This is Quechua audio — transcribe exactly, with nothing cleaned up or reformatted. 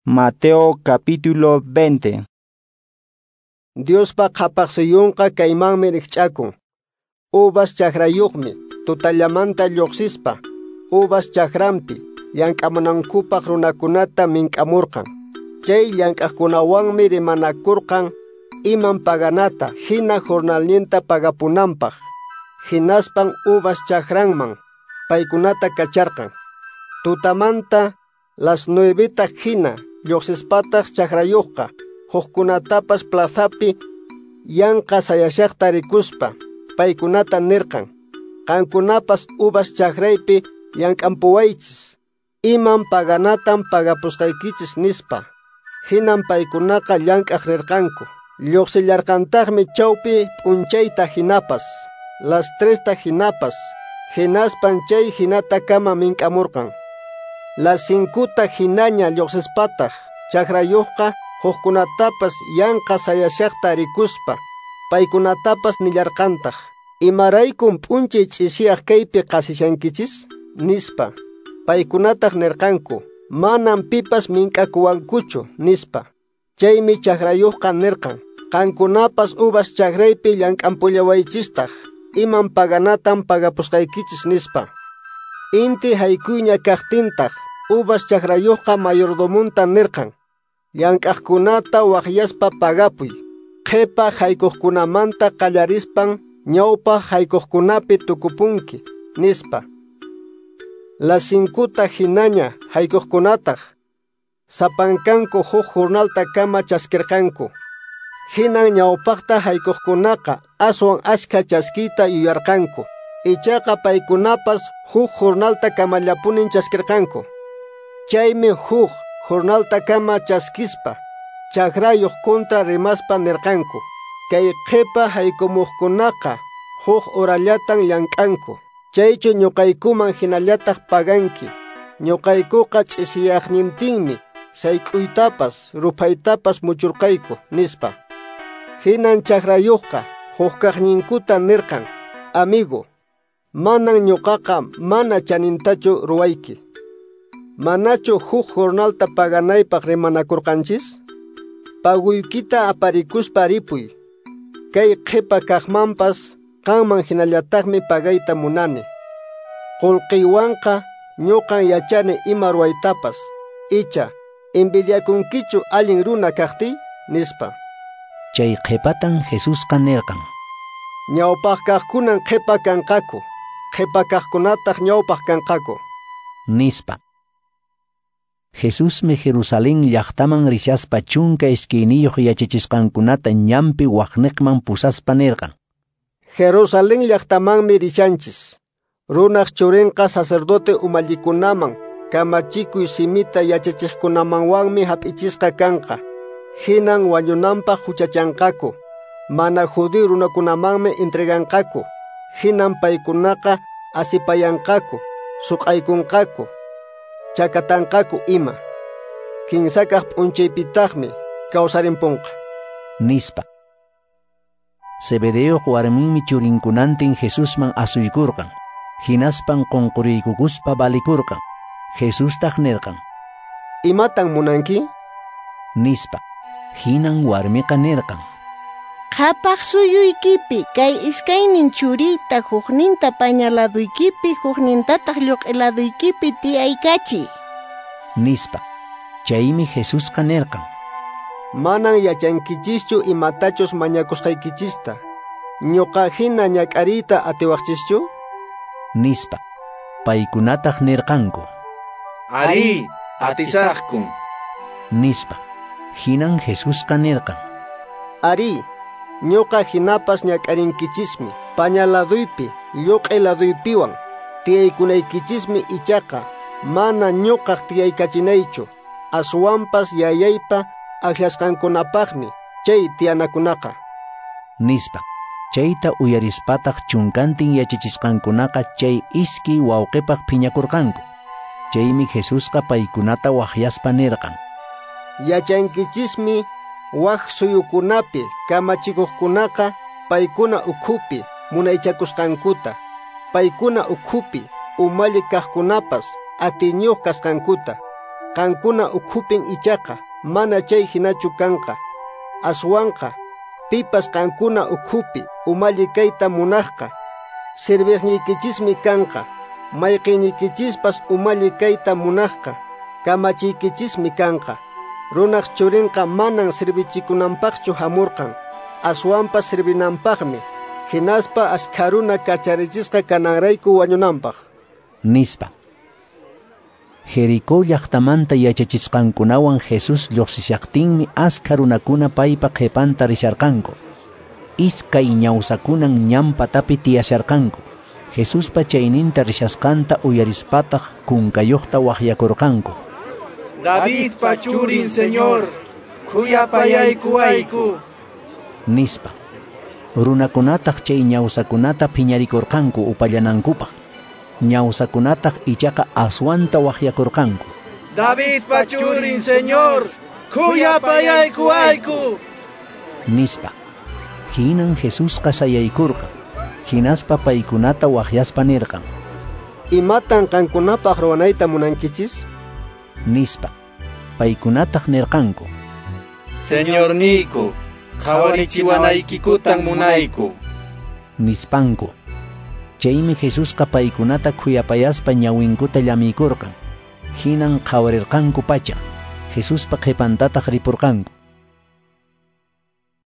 Mateo capítulo veinte. Diospa qhapaq suyunqa kaymanmi rikch'akun. Uvas chakrayuqmi tutallamanta lluqsispa uvas chakranpi llank'amunankupaq runakunata mink'amurqan. Chay llank'aqkunawanmi rimanakurqan iman paganata hina jornalninta pagapunanpaq. Hinaspan uvas chakranman paykunata kacharqan. Tutamanta las nueveta hina lluqsispataq chakrayuqqa hukkunatapas plazapi yanqa sayashaqta rikuspa paykunata nirqan: qankunapas uvas chakraypi llank'ampuwaychis, iman paganatan pagapusqaykichis nispa. Hinan paykunaqa llank'aq rirqanku. Lluqsillarqantaqmi chawpi p'unchayta hinapas, las tresta hinapas, hinaspan chay hinatakama mink'amurqan. Las cincuta hinaña lluqsispataq chakrayuqqa hukkunatapas yanqa sayashaqta rikuspa paykunatapas nillarqantaq: imaraykum p'unchay ch'isiyaq kaypi qasishankichis nispa. Paykunataq nirqanku: manam pipas mink'akuwankuchu nispa. Chaymi chakrayuqqa nirqan: qankunapas uvas chakraypi llank'ampullawaychistaq, iman paganatan pagapusqaykichis nispa. Inti haykuyña kaqtintaq uvas chakrayuqqa mayordomunta nirqan: llank'aqkunata waqyaspa pagapuy, qhipa haykuqkunamanta qallarispan ñawpaq haykuqkunapi tukupunki nispa. Las cincuta hinaña haykuqkunataq sapankanku huk jornaltakama chaskirqanku. Hinan ñawpaqta haykuqkunaqa aswan ashkha chaskiyta yuyarqanku. Ichaqa paykunapas huk jornaltakamallapunin chaskirqanku. Chaymi huk jornaltakama chaskispa chakrayuq kontra rimaspa nirqanku: kay qhipa haykumuqkunaqa huk horallatan llank'anku, chaychu ñuqaykuman hinallataq paganki. Ñuqaykuqa ch'isiyaqnintinmi sayk'uytapas ruphaytapas muchurqayku nispa. Hinan chakrayuqqa hukkaqninkuta nirqan: amigo, manan ñuqaqa mana chanintachu ruwayki. Manachu huk jornalta paganaypaq rimanakurqanchis? Paguykita aparikuspa ripuy. Kay qhipa kaqmanpas qanman hinallataqmi pagayta munani. Qullqiywanqa ñuqan yachani ima ruwaytapas. Icha, envidiakunkichu allin runa kaqtiy nispa. Chay qhipatan Jesusqa nirqan: ñawpaq kaqkunan qhipa kanqaku, qhipa kaqkunataq ñawpaq kanqaku nispa. Jesusmi Jerusalén llaqtaman rishaspa chunka iskayniyuq yachachisqankunata ñanpi waqniqman pusaspa nirqan: Jerusalén llaqtamanmi rishanchis. Runaq churinqa sacerdote umallikunaman, kamachikuy simita yachachiqkunamanwanmi hap'ichisqa kanqa. Hinan wañunanpaq huchachanqaku. Mana judío runakunamanmi entreganqaku. Hinan paykunaqa asipayanqaku, suq'aykunqaku, chakatanqaku ima. Kinsakaq p'unchaypitaqmi kawsarimpunqa nispa. Zebedeoq warminmi churinkunantin Jesusman asuykurqan. Hinaspan qunquriykukuspa valikurqan. Jesustaq nirqan: imatan munanki? Nispa. Hinan warmiqa nirqan: qhapaq suyuykipi kay iskaynin churiyta hukninta paña laduykipi huknintataq lluq'i laduykipi tiyaykachiy nispa. Chaymi Jesusqa nirqan: manan yachankichischu imatachus mañakusqaykichista. Ñuqa hina ñak'ariyta atiwaqchischu? Nispa. Paykunataq nirqanku: arí, atisaqkun nispa. Hinan Jesusqa nirqan: arí, ñuqa hinapas ñak'arinkichismi paña laduypi lluq'i laduypiwan tiyaykunaykichismi, ichaqa mana ñuqaq tiyaykachinaychu, aswanpas yayaypa akllasqankunapaqmi chay tiyanakunaqa nispa. Chayta uyarispataq chunkantin yachachisqankunaqa chay iskay wawqipaq phiñakurqanku. Chaymi Jesusqa paykunata waqyaspa nirqan: yachankichismi wak suyukunapi kamachikuqkunaqa paykuna ukhupi munaychakusqankuta, paykuna ukhupi umalli kaqkunapas atiyniyuq kasqankuta. Qankuna ukhupin ichaqa mana chay hinachu kanqa. Aswanqa pipas qankuna ukhupi umalli kayta munaqqa serviqniykichismi kanqa. Mayqiñiykichispas umalli kayta munaqqa kamachiykichismi kanqa. Runaq churinqa manan servichikunanpaqchu hamurqan, aswanpas servinanpaqmi, hinaspa askha runa kacharichisqa kananrayku wañunanpaq, nispa. Jericó llaqtamanta yachachisqankunawan Jesús lluqsishaqtinmi askha runakuna paypa qhipanta risharqanku. Iskay ñawsakunan ñan patapi tiyasharqanku. Jesuspa chayninta rishasqanta uyarispataq kunkayuqta waqyakurqanku. Davidpa churin Señor, khuyapayaykuwayku, nispa. Runakunataq chay ñawsakunata phiñarikurqanku upallanankupaq. Ñawsakunataq ichaqa aswanta waqyakurqanku. Davidpa churin Señor, khuyapayaykuwayku, nispa. Hinan Jesusqa sayaykurqan. Hinaspa paykunata waqyaspa nirqan: Imatan qankunapaq ruwanayta munankichis? Nispa. Paykunataq nirqanku: Señorniyku, qhawarichiwanaykikutan munayku, nispanku. Chaymi Jesusqa paykunata khuyapayaspa ñawinkuta llamiykurqan. Hinan qhawarirqanku pacha. Jesuspa qhipantataq ripurqanku.